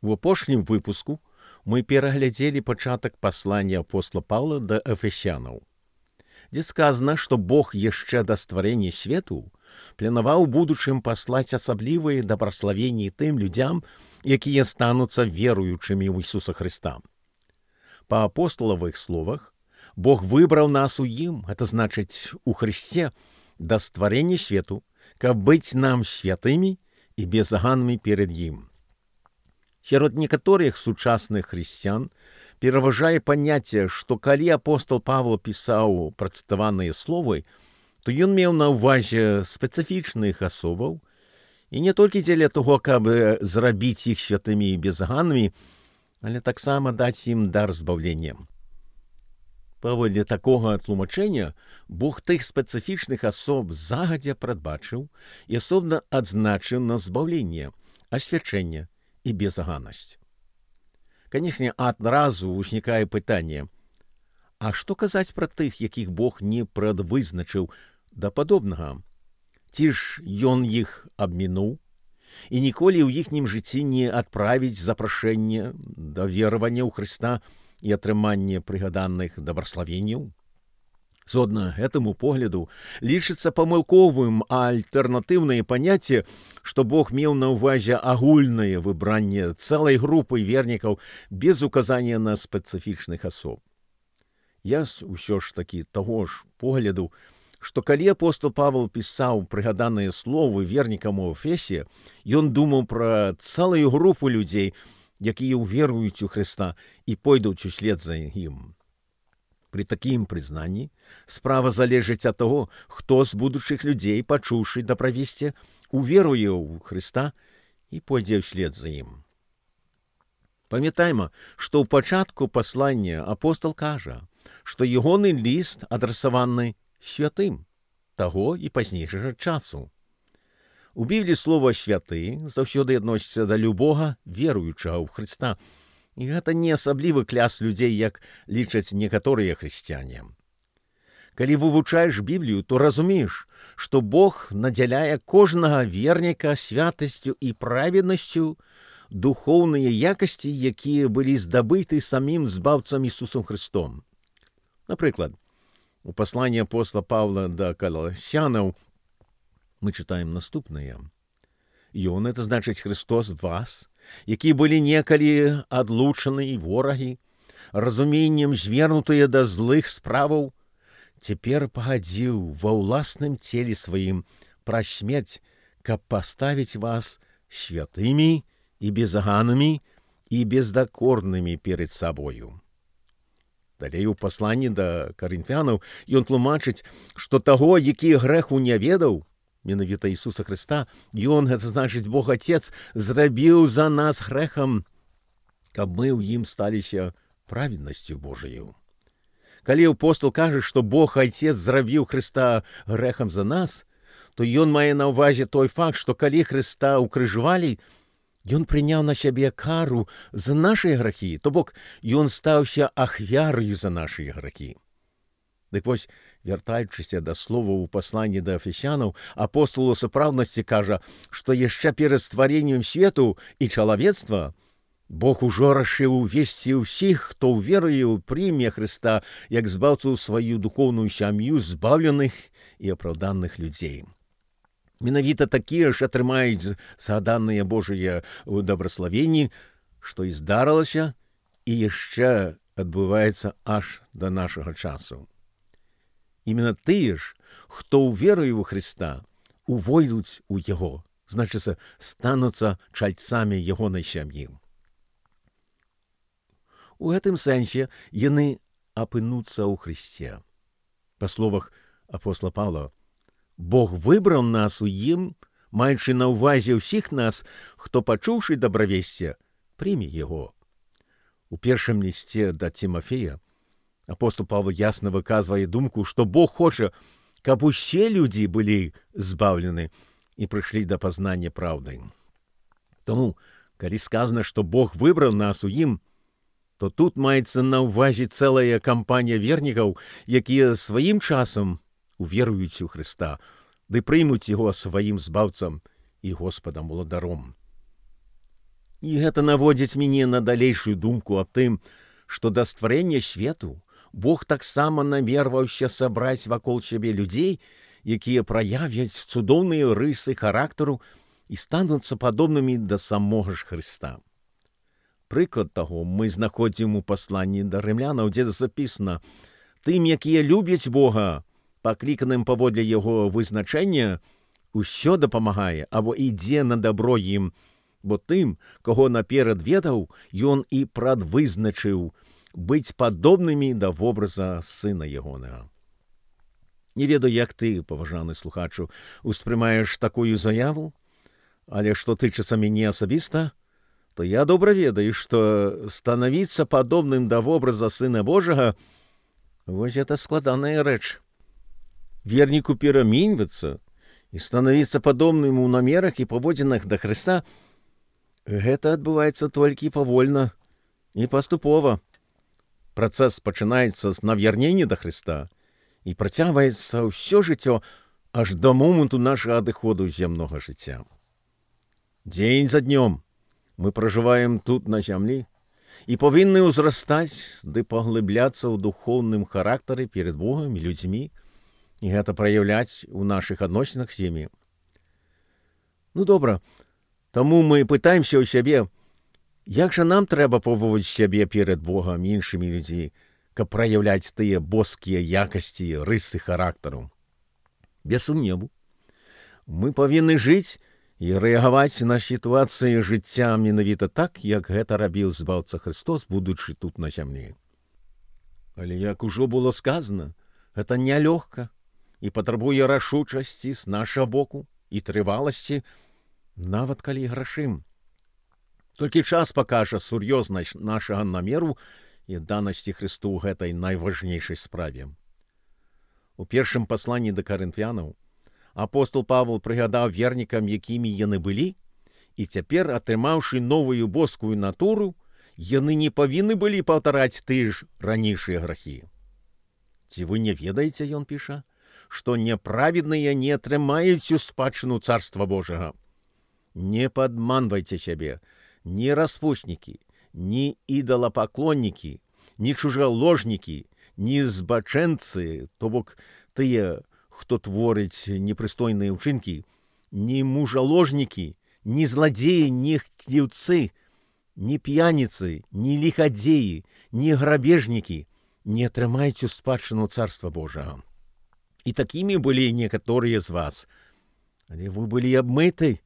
У апошнім выпуску мы пераглядзелі пачатак паслання апостола Паўла да эфесянаў, дзе сказана, што Бог яшчэ да стварэння свету планаваў у будучым паслаць асаблівыя дабраславенні тым людзям, якія стануцца веруючымі ў Ісуса Хрыста. Па апосталавых словах, Бог выбраў нас у ім, гэта значыць у Хрысце, да стварэння свету, каб быць нам святымі і безаганнымі перад ім. Сярод некаторых сучасных хрысціян пераважае паняцце, што калі апостол Павел пісаў працытаваныя словы, то ён меў на ўвазе спецыфічных асобаў, і не толькі дзеля таго, каб зрабіць іх святымі і безаганнымі, але таксама даць ім дар збаўлення. Паводле такога тлумачэння Бог тых спецыфічных асоб загадзя прадбачыў і асобна адзначыў на збаўленне, асвячэнне і безаганнасць. Канешне, адразу ўзнікае пытанне, а што казаць пра тых, якіх Бог не прадвызначыў да падобнага? Ці ж ён іх абмінуў і ніколі ў іхнім жыцці не адправіць запрашэнне да веравання ў Хрыста і атрымання прыгаданых дабраславенняў? Згодна гэтаму погляду лічыцца памылковым альтэрнатыўнае паняцце, што Бог меў на ўвазе агульнае выбранне цэлай групы вернікаў без указання на спецыфічных асоб. Я ўсё ж такі таго ж погляду, што калі апостол Павел пісаў прыгаданыя словы вернікам у Эфесе, ён думаў пра цэлую групу людзей, якія ўверуюць у Хрыста і пойдуць услед за ім. Пры такім прызнанні справа залежыць ад таго, хто з будучых людзей, пачуўшы дабравесце, уверуе ў Хрыста і пойдзе ўслед за ім. Памятайма, што ў пачатку паслання апостол кажа, што ягоны ліст адрасаваны святым таго і пазнейшага часу. У Бібліі слова «святы» заўсёды адносіцца да любога веруючага ў Хрыста, і гэта не асаблівы кляс людзей, як лічаць некаторыя хрысціяне. Калі вывучаеш Біблію, то разумееш, што Бог надзяляе кожнага верніка святасцю і праведнасцю, духоўныя якасці, якія былі здабыты самім збаўцам Ісусам Хрыстом. Напрыклад, у пасланні апостола Паўла да Каласянаў мы чытаем наступнае. Ён, это значыць Христос вас, якія былі некалі адлучаны і ворагі, разуменнем звернутыя да злых справаў, цяпер пагадзіў ва ўласным целе сваім праз смерць, каб паставіць вас святымі і безаганнымі і бездакорнымі перед сабою. Далей у пасланні да Карынфянаў ён тлумачыць, што таго, які грэху не ведаў, менавіта Ісуса Хрыста, ён, гэта значыць Бог Отец, зрабіў за нас грэхам, каб мы ў ім сталіся праведнасцю Божаю. Калі апостол кажа, што Бог Отец зрабіў Хрыста грэхам за нас, то ён мае на ўвазе той факт, што калі Хрыста укрыжвалі, ён прыняў на сябе кару за нашыя грахі, то бок ён стаўся ахвяраю за нашыя грахі. Дык вось, вяртаючыся да слова ў пасланні да эфесянаў, апостол у сапраўднасці кажа, што яшчэ перад стварэннем свету і чалавецтва Бог ужо рашыў увесці ўсіх, хто ўверуе ў прыме Хрыста, як збаўцу ў сваю духоўную сям'ю збаўленых і апраўданых людзей. Менавіта такія ж атрымаюць згаданыя Божыя ў дабраславенні, што і здарылася, і яшчэ адбываецца аж да нашага часу. Именно тыя ж, хто ўверуе ў Хрыста, увойдуць у Яго, значыцца, стануцца чальцамі ягонай сям'і. У гэтым сэнсе яны апынуцца ў Хрысце. Па словах апостола Паўла, Бог выбраў нас у ім, маючы на ўвазе ўсіх нас, хто, пачуўшы дабравесце, прыме яго. У першым лісце да Тимофея апостол Павел ясна выказвае думку, што Бог хоча, каб усе людзі былі збаўлены і прыйшлі да пазнання праўды. Таму, калі сказана, што Бог выбраў нас у ім, то тут маецца на ўвазе цэлая кампанія вернікаў, якія сваім часам уверуюць у Хрыста, ды прымуць яго сваім збаўцам і Господам уладаром. І гэта наводзіць мяне на далейшую думку аб тым, што да стварэння свету Бог таксама намерваўся сабраць вакол сябе людзей, якія праявяць цудоўныя рысы характару і стануцца падобнымі да самога ж Хрыста. Прыклад таго мы знаходзім у пасланні да рымлянаў, дзе запісана: «Тым, якія любяць Бога, пакліканым паводле яго вызначэння, усё дапамагае або ідзе на дабро ім, бо тым, каго наперад ведаў, ён і прадвызначыў быць падобнымі да вобраза сына ягонага». Не ведаю, як ты, паважаны слухачу, успрымаеш такую заяву, але што тычыцца мяне асабіста, то я добра ведаю, што станавіцца падобным да вобраза Сына Божага — вось гэта складаная рэч. Верніку пераменьвацца і станавіцца падобным у намерах і паводзінах да Хрыста — гэта адбываецца толькі павольна і паступова. Працэс пачынаецца з навярнення да Хрыста і працягваецца ўсё жыццё аж да моманту нашага адыходу з зямнога жыцця. Дзень за днём мы пражываем тут на зямлі і павінны ўзрастаць ды паглыбляцца ў духоўным характары перад Богам і людзьмі, і гэта праяўляць у нашых адносінах з імі. Ну добра, таму мы пытаемся ў сябе, як жа нам трэба поводзіць сябе перад Богам і іншымі людзьмі, каб праяўляць тыя боскія якасці, рысы характару? Без сумневу, мы павінны жыць і рэагаваць на сітуацыі жыцця менавіта так, як гэта рабіў Збаўца Христос, будучы тут на зямлі. Але, як ужо было сказана, гэта нялёгка і патрабуе рашучасці з нашага боку і трываласці, нават калі грашым. Толькі час пакажа сур'ёзнасць нашага намеру і данасці Христу ў гэтай найважнейшай справе. У першым пасланні да карынфянаў апостол Павел прыгадаў вернікам, якімі яны былі, і цяпер, атрымаўшы новую боскую натуру, яны не павінны былі паўтараць тыя ж ранейшыя грахі. Ці вы не ведаеце, ён піша, што няправедныя не атрымаюць у спадчыну Царства Божага? Не падманвайце сябе, ні распуснікі, ні ідалапаклоннікі, ні чужаложнікі, ні збачэнцы, то бок тыя, хто творыць непрыстойныя ўчынкі, ні мужаложнікі, ні зладзеі, ні хціўцы, ні п'яніцы, ні ліхадзеі, ні грабежнікі не атрымаюць у спадчыну Царства Божага. І такімі былі некаторыя з вас. Але вы былі абмыты,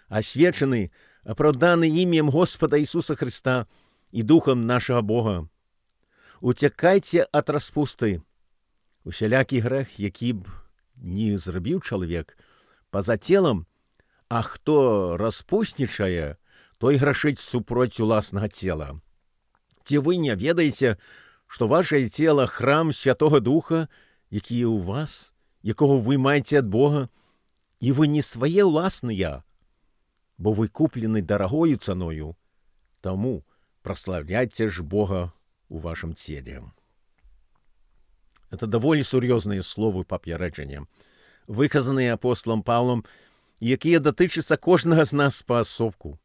асвечаны, апраўданы імем Господа Ісуса Христа і духам нашага Бога. Уцякайце ад распусты. Усялякі грэх, які б не зрабіў чалавек па-за целам, а хто распуснічае, той грашыць супроць уласнага цела. Ці вы не ведаеце, што вашае цела — храм Святога Духа, які ў вас, якога вы маеце ад Бога, і вы не свае ўласныя, бо вы куплены дарагою цаною, таму праслаўляйце ж Бога у вашым целе. Это даволі сур'ёзныя словы папярэджання, выказаныя апостолам Паўлам, якія датычацца кожнага з нас паасобку.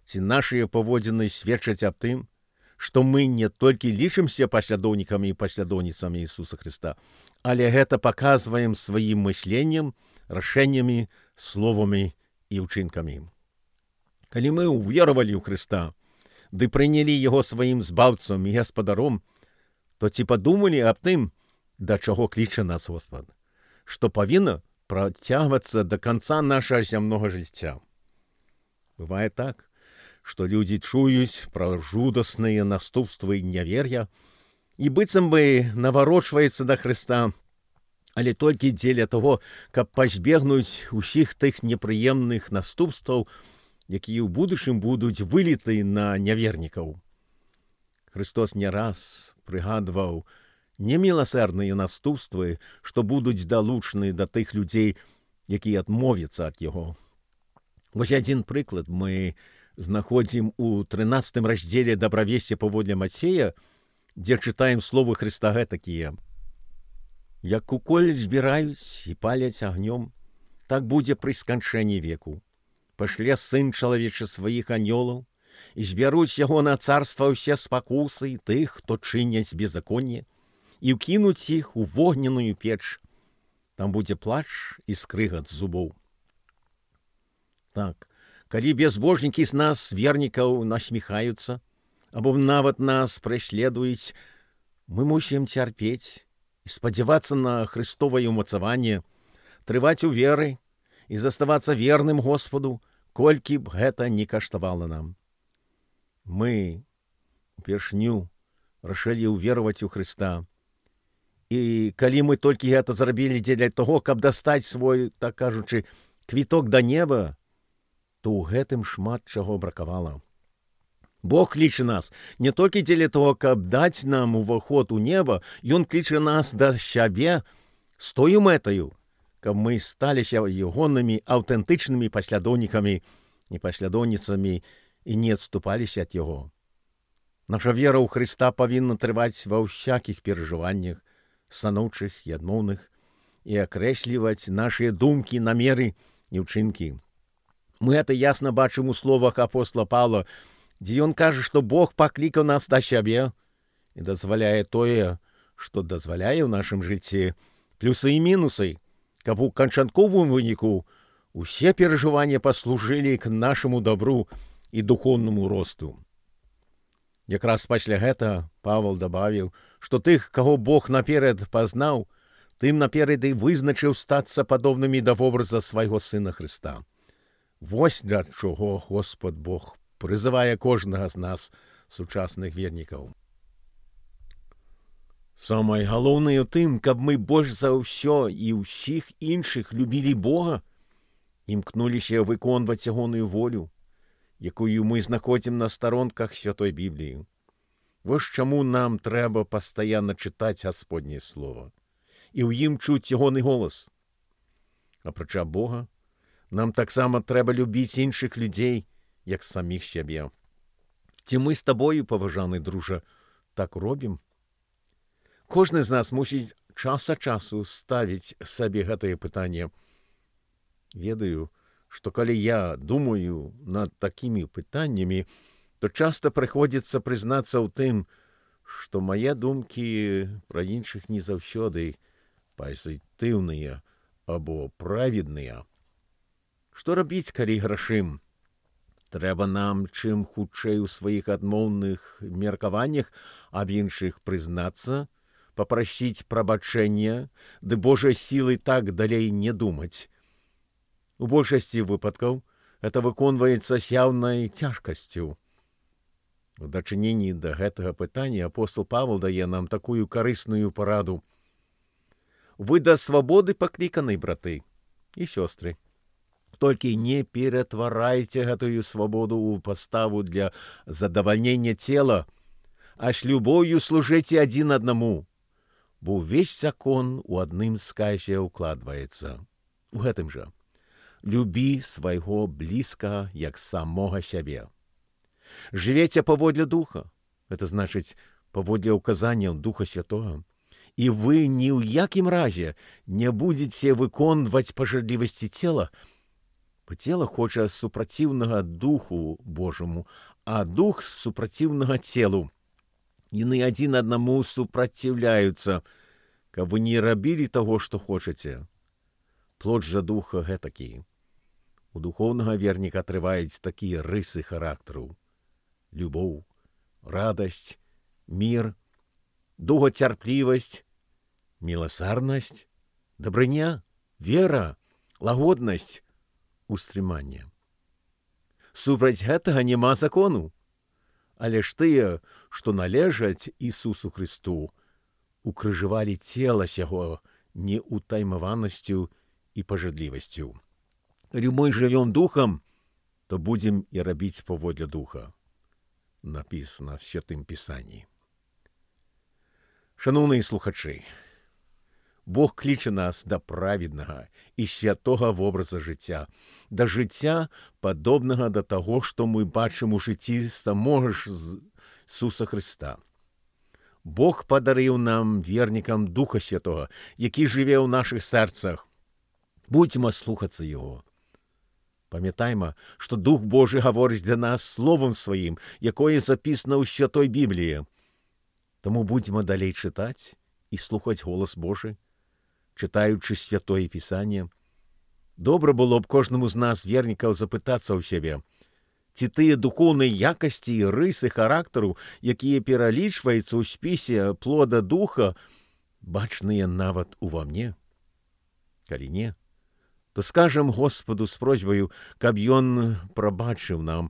Ці нашыя паводзіны сведчаць аб тым, што мы не толькі лічымся паслядоўнікамі і паслядоўніцамі Ісуса Христа, але гэта паказваем сваім мысленнем, рашэннямі, словамі і ўчынкамі. Калі мы ўверавалі ў Христа, ды прынялі Яго сваім збаўцам і гаспадаром, то ці падумалі аб тым, да чаго кліча нас Господ, што павінна працягвацца да канца нашага зямнога жыцця? Бывае так, што людзі чуюць пра жудасныя наступствы нявер'я і быццам бы наварочваецца да Хрыста, але толькі дзеля таго, каб пазбегнуць усіх тых непрыемных наступстваў, якія ў будучым будуць выліты на нявернікаў. Христос не раз прыгадваў неміласэрныя наступствы, што будуць далучаны да тых людзей, якія адмовяцца ад Яго. Вось адзін прыклад мы знаходзім у 13 раздзеле «Дабравесце паводле Мацея», дзе чытаем словы Хрыста гэтакія: «Як куколь збіраюць і паляць агнём, так будзе пры сканчэнні веку. Пашле Сын чалавечы сваіх анёлаў, і збяруць яго на царства ўсе спакусы тых, хто чыняць беззаконне, і ўкінуць іх у вогненную печ. Там будзе плач і скрыгат зубоў. Так, калі безбожнікі з нас, вернікаў, насміхаюцца, або нават нас преследуюць, мы мусім цярпець і спадзявацца на Христовае ўмацаванне, трываць у веры і заставацца верным Господу, колькі б гэта не каштавала нам. Мы упершню рашылі ўвераваць у Хрыста. І калі мы толькі гэта зрабілі дзеля таго, каб дастаць свой, так кажучы, квіток да неба, то ў гэтым шмат чаго бракавала. Бог кліча нас не толькі дзеля того, каб даць нам уваход у неба, Ён кліча нас да сябе з тою мэтаю, каб мы сталіся ягонымі аўтэнтычнымі паслядоўнікамі і паслядоўніцамі і не адступаліся ад яго. Наша вера ў Хрыста павінна трываць ва ўсякіх перажываннях, станоўчых і адмоўных, і акрэсліваць нашыя думкі, намеры і ўчынкі. Мы гэта ясна бачым у словах апостола Павла, дзе ён кажа, што Бог паклікаў нас да сябе і дазваляе тое, што дазваляе ў нашым жыцці, плюсы і мінусы, каб у канчатковым выніку усе перажыванні паслужылі к нашаму добру і духоўнаму росту. Якраз пасля гэта Павел дабавіў, што тых, каго Бог наперад пазнаў, тым наперад і вызначыў стацца падобнымі да вобраза свайго Сына Хрыста. Вось для чого Господ Бог прызывае кожнага з нас, сучасных вернікаў. Самае галоўнае ў тым, каб мы больш за ўсё і ўсіх іншых любілі Бога, імкнуліся выконваць ягоную волю, якую мы знаходзім на старонках Святой Бібліі. Вось чаму нам трэба пастаянна чытаць Гасподняе Слова і ў ім чуць ягоны голас. Апрача Бога, нам таксама трэба любіць іншых людзей, як саміх сябе. Ці мы з табою, паважаны дружа, так робім? Кожны з нас мусіць час ад часу ставіць сабе гэтае пытанне. Ведаю, што калі я думаю над такімі пытаннямі, то часта прыходзіцца прызнацца ў тым, што мае думкі пра іншых не заўсёды пазітыўныя або праведныя. Што рабіць, калі грашым? Трэба нам чым хутчэй у сваіх адмоўных меркаваннях аб іншых прызнацца, папрасіць прабачэння, ды Божай сілай так далей не думаць. У большасці выпадкаў гэта выконваецца з яўнай цяжкасцю. У дачыненні да гэтага пытання апостол Павел дае нам такую карысную параду. Вы да свабоды пакліканы, браты і сёстры. Толькі не ператварайце гэтую свабоду ў паставу для задавальнення цела, а з любоўю служыце адзін аднаму, бо ўвесь закон у адным сказе ўкладваецца. У гэтым жа. Любі свайго блізкага, як самога сябе. Жывеце паводле духа, гэта значыць паводле ўказанняў Духа Святога, і вы ні ў якім разе не будзеце выконваць пажадлівасці цела, бо цела хоча супраціўнага Духу Божаму, а Дух супраціўнага целу. Яны адзін аднаму супраціўляюцца, каб вы не рабілі таго, што хочаце. Плод жа Духа гэтакі. У духоўнага верніка трываюць такія рысы характару: любоў, радасць, мір, доўгацярплівасць, міласарнасць, дабрыня, вера, лагоднасць, устрыманне. Супраць гэтага няма закону, але ж тыя, што належаць Ісусу Христу, укрыжывалі цела сяго неўтаймаванасцю і пажадлівасцю. Калі мы жывём духам, то будзем і рабіць паводле духа. Напісана ў Святым Пісанні. Шаноўныя слухачы, Бог кліча нас да праведнага і святога вобраза жыцця, да жыцця, падобнага да таго, што мы бачым у жыцці самога ж Ісуса Хрыста. Бог падарыў нам, вернікам, Духа Святога, які жыве ў нашых сэрцах. Будзьма слухацца Яго. Пам'ятаймо, що Дух Божий говорить для нас Словом Своїм, якое записано у Святой Біблії. Тому будемо далі читати і слухати голос Божий, читаючи Святое Писання. Добре було б кожному з нас, вірників, запитатися у себе, ці тие духовні якості і риси характеру, які перелічваються у списі плода Духа, бачныя нават ува мне? Калі не, то скажем Господу з просьбою, каб Ён прабачыў нам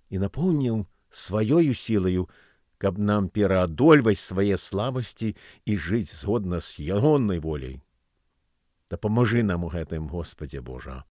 і напоўніў сваёю сілаю, каб нам пераадольваць свае слабасці і жыць згодна з Ягонай воляй. Дапамажы нам у гэтым, Господзе Божа.